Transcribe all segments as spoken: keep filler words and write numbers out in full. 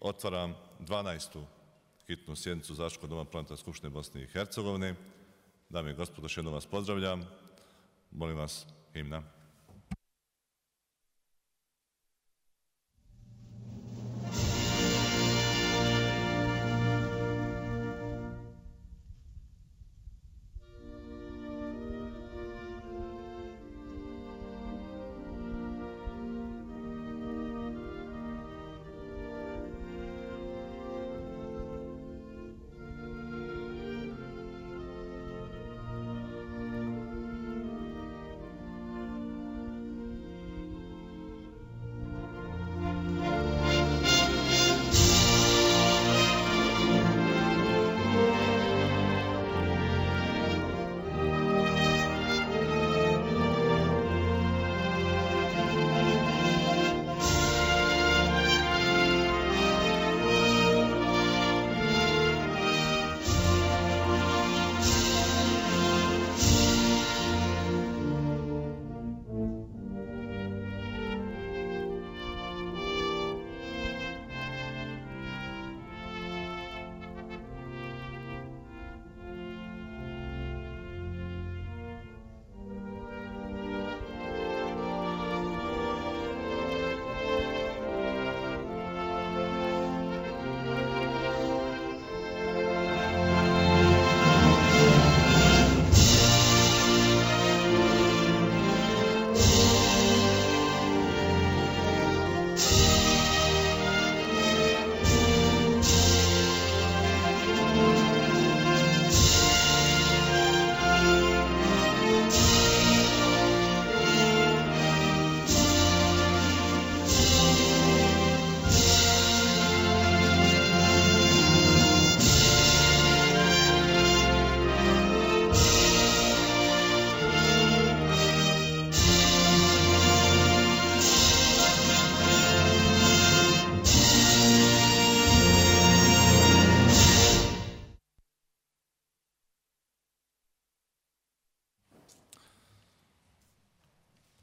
Otvaram dvanaestu hitnu sjednicu Zastupničkog doma Parlamentarne skupštine Bosne i Hercegovine. Dame i gospodo, još jednom vas pozdravljam. Molim vas, himna.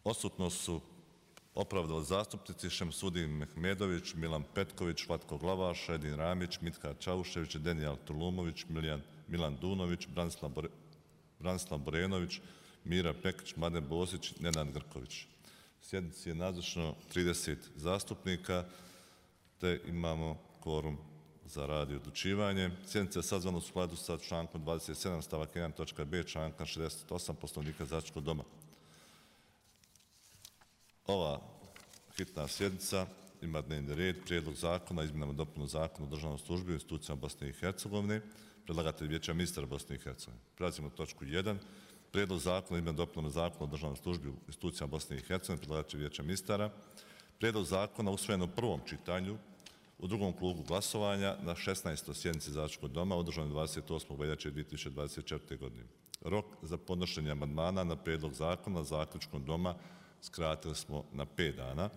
Odsutnost su opravdali zastupnici Šemsudin Mehmedović, Milan Petković, Vlatko Glavaš, Edin Ramić, Mitka Čaušević, Denijal Tulumović, Miljan, Milan Dunović, Branislav, Bore, Branislav Borenović, Mira Pekić, Mladen Bosić, Nenad Grković. Sjednici je nazočno trideset zastupnika, te imamo kvorum za rad i odlučivanje. Sjednica je sazvana u skladu sa člankom dvadeset sedam stavak jedan točka b, članka šezdeset osam Poslovnika Zastupničkog doma. Ova hitna sjednica ima dnevni red, prijedlog zakona, izmjenama i dopunu zakona o državnoj službi u institucijama Bosne i Hercegovine, predlagatelj Vijeća ministara Bosne i Hercegovine. Prelazimo na točku jedan. Prijedlog zakona o izmjenama i dopunu zakona o državnoj službi u institucijama Bosne i Hercegovine, predlagatelj Vijeća ministara. Prijedlog zakona usvojen u prvom čitanju u drugom krugu glasovanja na šesnaestoj sjednici Zastupničkog doma održanoj dvadeset osmog veljače dvije tisuće dvadeset četvrte. godine. Rok za podnošenje amandmana na prijedlog zakona Zaključkog doma skratili smo na pet dana.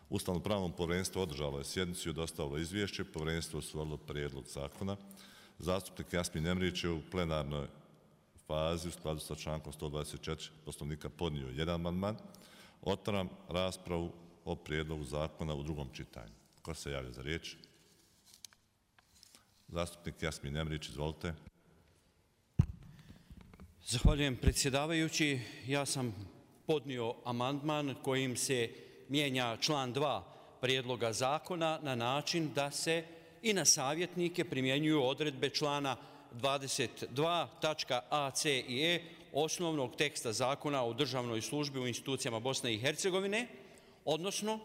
Ustavno-pravno povjerenstvo održalo je sjednicu i dostavilo izvješće. Povjerenstvo usvojilo prijedlog zakona. Zastupnik Jasmin Emrić je u plenarnoj fazi u skladu sa člankom sto dvadeset četiri Poslovnika podnio jedan amandman. Otvaram raspravu o prijedlogu zakona u drugom čitanju. Ko se javlja za riječ? Zastupnik Jasmin Emrić, izvolite. Zahvaljujem predsjedavajući. Ja sam podnio amandman kojim se mijenja član dva prijedloga zakona na način da se i na savjetnike primjenjuju odredbe člana dvadeset dva tačka a, c i e osnovnog teksta zakona o državnoj službi u institucijama Bosne i Hercegovine, odnosno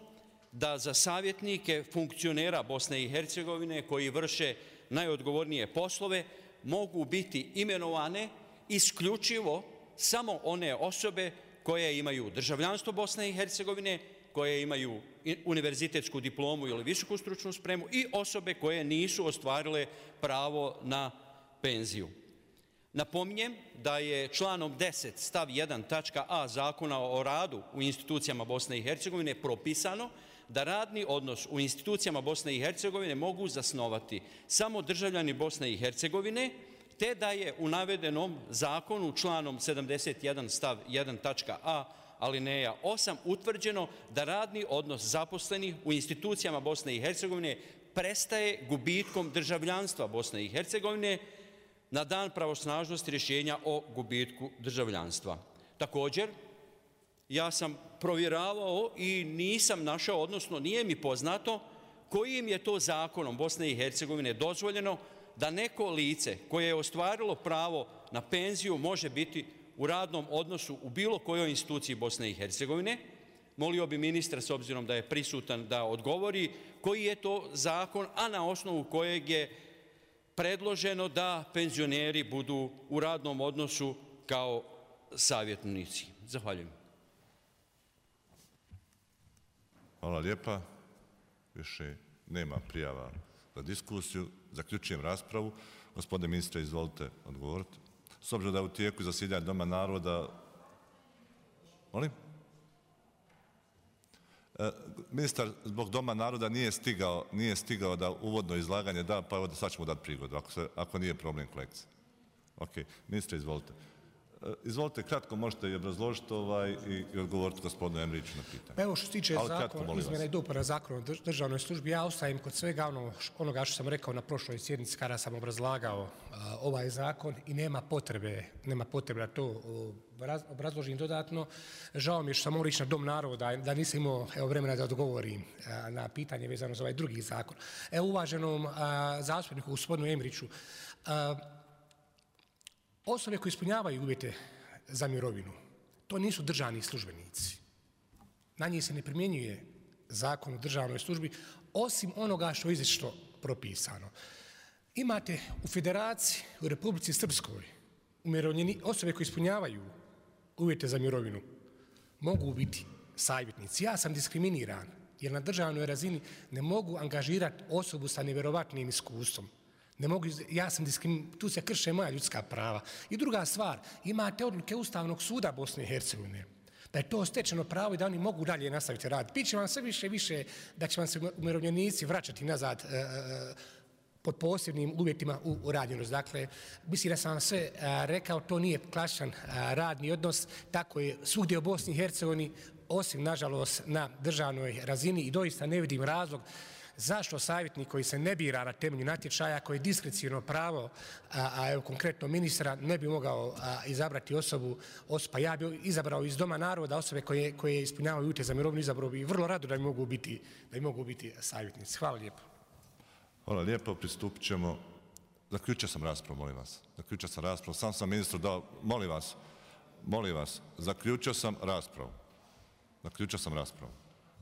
da za savjetnike funkcionera Bosne i Hercegovine koji vrše najodgovornije poslove mogu biti imenovane isključivo samo one osobe koje imaju državljanstvo Bosne i Hercegovine, koje imaju univerzitetsku diplomu ili visoku stručnu spremu i osobe koje nisu ostvarile pravo na penziju. Napominjem da je članom deset stav jedan tačka a Zakona o radu u institucijama Bosne i Hercegovine propisano da radni odnos u institucijama Bosne i Hercegovine mogu zasnovati samo državljani Bosne i Hercegovine, te da je u navedenom zakonu članom sedamdeset jedan stav jedan tačka a alineja osam utvrđeno da radni odnos zaposlenih u institucijama Bosne i Hercegovine prestaje gubitkom državljanstva Bosne i Hercegovine na dan pravosnažnosti rješenja o gubitku državljanstva. Također, ja sam provjeravao i nisam našao, odnosno nije mi poznato, kojim je to zakonom Bosne i Hercegovine dozvoljeno da neko lice koje je ostvarilo pravo na penziju može biti u radnom odnosu u bilo kojoj instituciji Bosne i Hercegovine. Molio bi ministra, s obzirom da je prisutan, da odgovori koji je to zakon, a na osnovu kojeg je predloženo da penzioneri budu u radnom odnosu kao savjetnici. Zahvaljujem. Hvala lijepa. Više nema prijava za diskusiju. Zaključujem raspravu. Gospodine ministre, izvolite odgovoriti. S obzirom da je u tijeku zasjedanja Doma naroda... Molim? E, ministar zbog Doma naroda nije stigao, nije stigao da uvodno izlaganje da, pa evo da sad ćemo dati prigodu, ako, se, ako nije problem kolekcije. Ok, ministre, izvolite. E, izvolite, kratko možete i obrazložiti ovaj, i, i odgovoriti gospodinu Emriću na pitanje. Evo što se tiče zakona, izmjena i dopuna zakona o državnoj službi, ja ostajem kod svega ono, onoga što sam rekao na prošloj sjednici kada sam obrazlagao a, ovaj zakon i nema potrebe, nema potrebe da to obraz, obrazložim dodatno. Žao mi je što sam morao ići na Dom naroda, da nisam imao evo, vremena da odgovorim a, na pitanje vezano za ovaj drugi zakon. Evo uvaženom a, zastupniku gospodinu Emriću, a, osobe koje ispunjavaju uvjete za mirovinu, to nisu državni službenici. Na njih se ne primjenjuje zakon o državnoj službi, osim onoga što je izričito propisano. Imate u Federaciji, u Republici Srpskoj, osobe koje ispunjavaju uvjete za mirovinu, mogu biti savjetnici. Ja sam diskriminiran, jer na državnoj razini ne mogu angažirati osobu sa nevjerovatnim iskustvom. Ne mogu, ja sam diskrimin, tu se krše moja ljudska prava. I druga stvar, imate odluke Ustavnog suda Bosne i Hercegovine, da je to stečeno pravo i da oni mogu dalje nastaviti rad. Piće vam sve više više da će vam se umirovljenici vraćati nazad e, e, pod posebnim uvjetima u, u radnjenost. Dakle, mislim da sam vam sve a, rekao, to nije klasičan a, radni odnos, tako je svugdje u Bosni i Hercegovini, osim, nažalost, na državnoj razini i doista ne vidim razlog zašto savjetnik koji se ne bira na temelju natječaja, koji je diskrecijono pravo, a, a evo konkretno ministra, ne bi mogao a, izabrati osobu, osoba, pa ja bi izabrao iz Doma naroda osobe koje, koje ispunjavaju uvjete za mirovinu, izabrao bi vrlo rado da bi mogu biti, da bi mogu biti savjetnici. Hvala lijepo. Hvala lijepo, pristupit ćemo. Zaključio sam raspravu, molim vas. Zaključio sam raspravu, sam sam ministru dao, molim vas, molim vas, zaključio sam raspravu. Zaključio sam raspravu.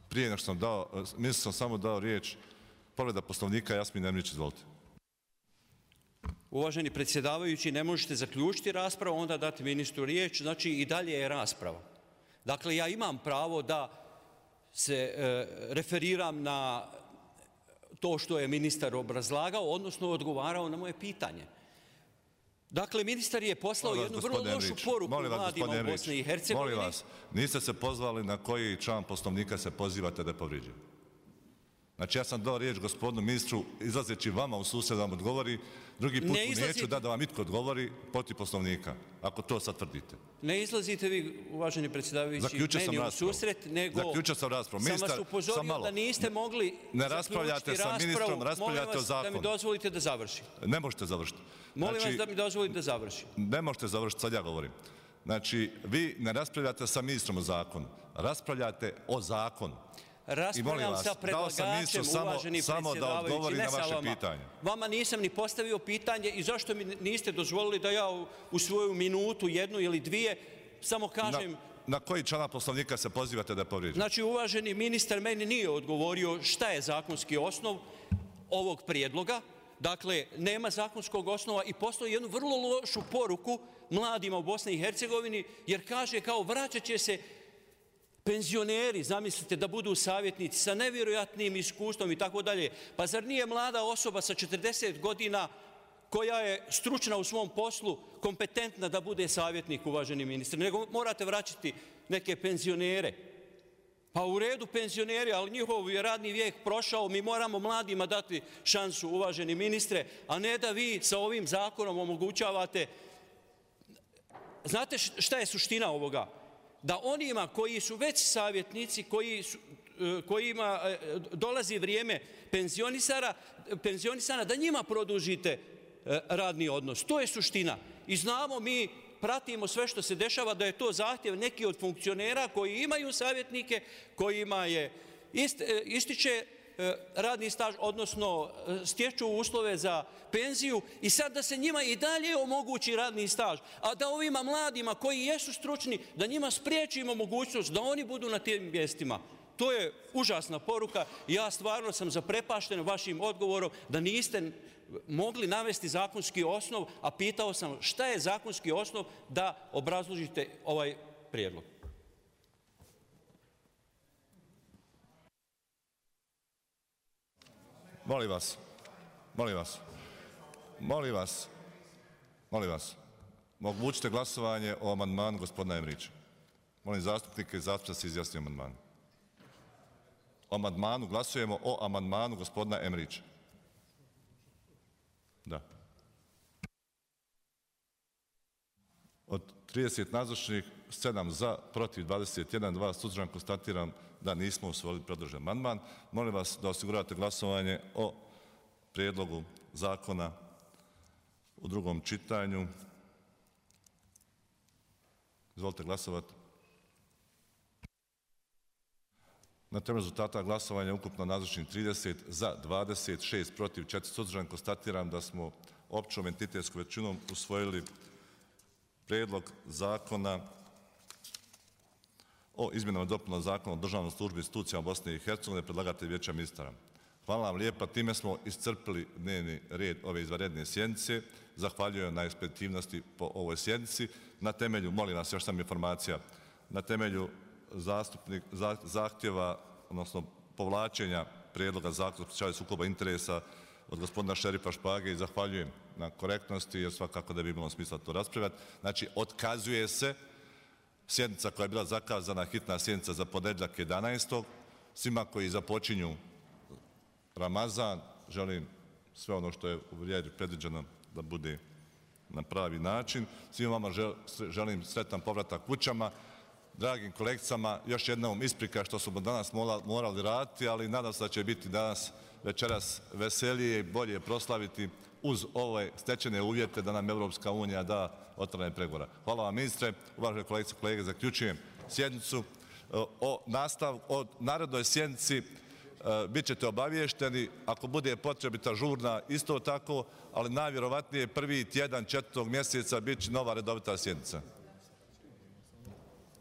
Prije nego što sam dao, ministru sam samo dao riječ, povreda Poslovnika, Jasmin Emrić, izvolite. Uvaženi predsjedavajući, ne možete zaključiti raspravu, onda dati ministru riječ, znači i dalje je rasprava. Dakle, ja imam pravo da se e, referiram na to što je ministar obrazlagao, odnosno odgovarao na moje pitanje. Dakle, ministar je poslao jednu vrlo lošu poruku mladima u Bosni i Hercegovini. Molim vas, niste se pozvali na koji član Poslovnika se pozivate da je povrijeđen. Znači, ja sam dao riječ gospodinu ministru, izlazeći vama u susred da vam odgovori, drugi put ne izlazite... neću da da vam itko odgovori protiv Poslovnika, ako to sad tvrdite. Ne izlazite vi, uvaženi predsjedavajući, meni u susret, nego Zaključio sam raspravu. Sam vas upozorio da niste mogli ne raspravljate sa ministrom, raspravljate o zakonu. Molim vas da mi dozvolite da završim. Ne možete završiti. Molim vas da mi dozvolite da završim. Ne možete završiti, sad ja govorim. Znači, vi ne raspravljate sa ministrom o zakonu, raspravljate o zakonu. Raspravljam sa predlagačem, uvaženi predsjedavajući, ne sa vama. Vama nisam ni postavio pitanje i zašto mi niste dozvolili da ja u svoju minutu, jednu ili dvije, samo kažem... Na, na koji član Poslovnika se pozivate da je povrijeđen? Znači, uvaženi ministar meni nije odgovorio šta je zakonski osnov ovog prijedloga. Dakle, nema zakonskog osnova i postoji jednu vrlo lošu poruku mladima u Bosni i Hercegovini, jer kaže kao vraćat će se penzioneri, zamislite, da budu savjetnici sa nevjerojatnim iskustvom i tako dalje. Pa zar nije mlada osoba sa četrdeset godina koja je stručna u svom poslu, kompetentna da bude savjetnik, uvaženi ministar, nego morate vraćati neke penzionere. Pa u redu penzioneri, ali njihov je radni vijek prošao, mi moramo mladima dati šansu, uvaženi ministre, a ne da vi sa ovim zakonom omogućavate. Znate šta je suština ovoga? Da onima koji su već savjetnici, koji su, kojima dolazi vrijeme penzionisana, da njima produžite radni odnos. To je suština. I znamo, mi pratimo sve što se dešava, da je to zahtjev neki od funkcionera koji imaju savjetnike, kojima je ističe radni staž, odnosno stječu uslove za penziju, i sad da se njima i dalje omogući radni staž, a da ovima mladima koji jesu stručni, da njima spriječimo mogućnost da oni budu na tim mjestima. To je užasna poruka. Ja stvarno sam zaprepašten vašim odgovorom da niste mogli navesti zakonski osnov, a pitao sam šta je zakonski osnov da obrazložite ovaj prijedlog. Molim vas, molim vas, molim vas, molim vas, omogućite glasovanje o amandmanu gospodina Emrića. Molim zastupnike i zastupnice da se izjasni o amandmanu. O amandmanu glasujemo o amandmanu gospodina Emrića. Da. Od trideset nazočnih, sedam za, protiv dvadeset jedan, dva suzdržan, konstatiram da nismo usvojili predložen amandman. Molim vas da osigurate glasovanje o prijedlogu zakona u drugom čitanju. Izvolite glasovati. Na temelju rezultata glasovanja ukupno nazočnih trideset za, dvadeset šest protiv, četiri suzdržan, konstatiram da smo općom entitetskom većinom usvojili prijedlog zakona o izmjenama i dopunama Zakona o državnoj službi i institucijama Bosne i Hercegovine, predlagatelj Vijeća ministara. Hvala vam lijepa, time smo iscrpili dnevni red ove izvanredne sjednice. Zahvaljujem na ekspeditivnosti po ovoj sjednici. Na temelju, molim vas, još sam informacija, na temelju zahtjeva, odnosno povlačenja prijedloga zakona o sprečavanju sukoba interesa od gospodina Šerifa Špage, i zahvaljujem na korektnosti, jer svakako da bi imalo smisla to raspravljati. Znači, otkazuje se sjednica koja je bila zakazana, hitna sjednica za ponedjeljak jedanaestog Svima koji započinju Ramazan, želim sve ono što je u vrijedi predviđeno da bude na pravi način. Svima vama želim sretan povratak kućama. Dragim kolegicama, još jednom isprika što smo danas morali raditi, ali nadam se da će biti danas večeras veselije i bolje proslaviti uz ove stečene uvjete da nam Evropska unija da otvaranje pregovora. Hvala vam, ministre. Uvažene kolegice i kolege, zaključujem sjednicu. O narednoj sjednici bit ćete obavješteni, ako bude potrebita žurna isto tako, ali najvjerovatnije prvi tjedan četvrtog mjeseca bit će nova redovita sjednica.